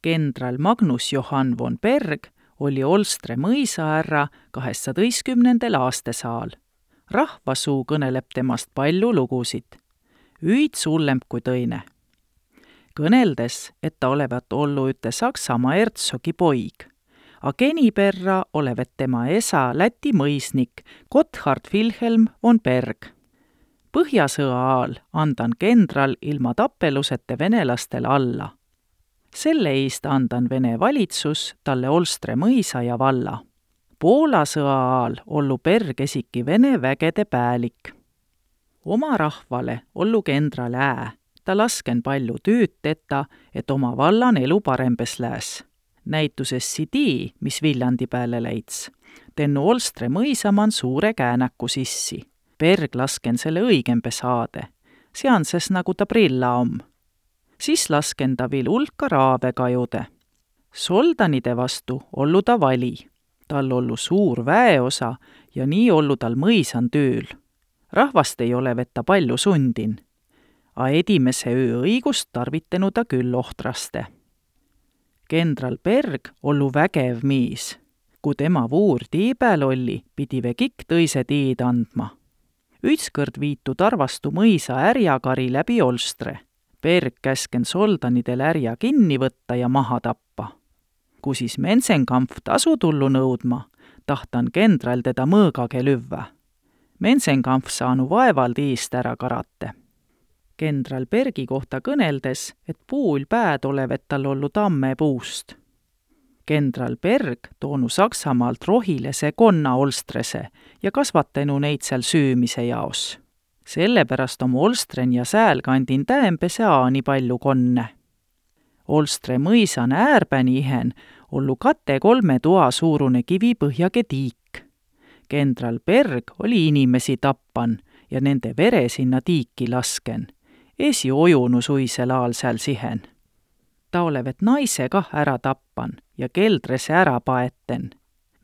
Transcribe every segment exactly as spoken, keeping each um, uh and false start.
Kendral Magnus Johann von Berg oli Olstre mõisaärra kaheksasadaistkümnendal aastasaal. Rahvasuu kõneleb temast palju lugusid. Üid sullemb kui tõine. Kõneldes, et ta olevat ollu üte Saksamaa ertsogi poig, a geniperra olevat tema esa Läti mõisnik Gotthard Wilhelm von Berg. Põhjasõa aal andan kendral ilma tappelusete venelastel alla. Selle eest andan Vene valitsus talle Olstre mõisa ja valla. Poola sõa aal ollu Berg esiki Vene vägede päälik. Oma rahvale ollu kendral ää, ta lasken palju tööd teta, et oma vallan elu parembes lääs. Näituses sidi, mis Viljandi pääle läits. Tennu Olstre mõisaman suure käänäku sissi. Berg lasken selle õigembe saade. Seanses nagu ta prilla om. Siis lasken ta vil ulka raave kajude. Soldanide vastu ollu ta vali. Tal ollu suur väeosa ja nii ollu tal mõisan tööl. Rahvast ei ole vetta palju sundin. A edimese öö õigust tarvitenu ta küll ohtraste. Kendral Berg ollu vägev miis. Kui tema vuur tiibäl olli, pidi vekik tõise tiid andma. Ütskõrd viitu tarvastu mõisa ärjakari läbi Olstre. Berg käsken soldanidel ärja kinni võtta ja maha tappa. Kui siis Mensenkampf tasu tullu nõudma, tahtan kendral teda mõõgage lüvvä. Mensenkampf saanu vaevald iist ära karate. Kendral Bergi kohta kõneldes, et puul pääd olevat tal ollu tamme puust. Kendral Berg toonu Saksamaalt rohilese konna Olstrese ja kasvatenu neid seal süümise jaos. Sellepärast om Olstren ja sääl kandin tähempese aani palju konne. Olstre mõisan äärpäni ihen ollu kate kolme toa suurune kivipõhjage tiik. Kendral Berg oli inimesi tappan ja nende vere sinna tiiki lasken. Esi ojunu suisel aal sääl sihen. Ta olevat naise kah ära tappan ja keldrese ära paeten.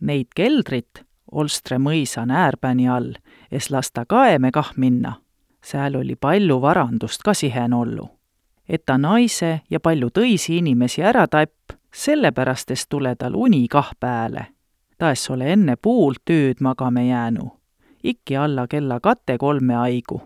Neid keldrit Olstre mõisan äärpäni all, es lasta kaeme kah minna. Sääl oli palju varandust ka sihen ollu. Et ta naise ja palju tõisi inimesi ära tapp, sellepärast tule tal uni kah pääle. Ta es ole enne puult tööd magame jäänu. Ikki alla kella kate kolme aigu.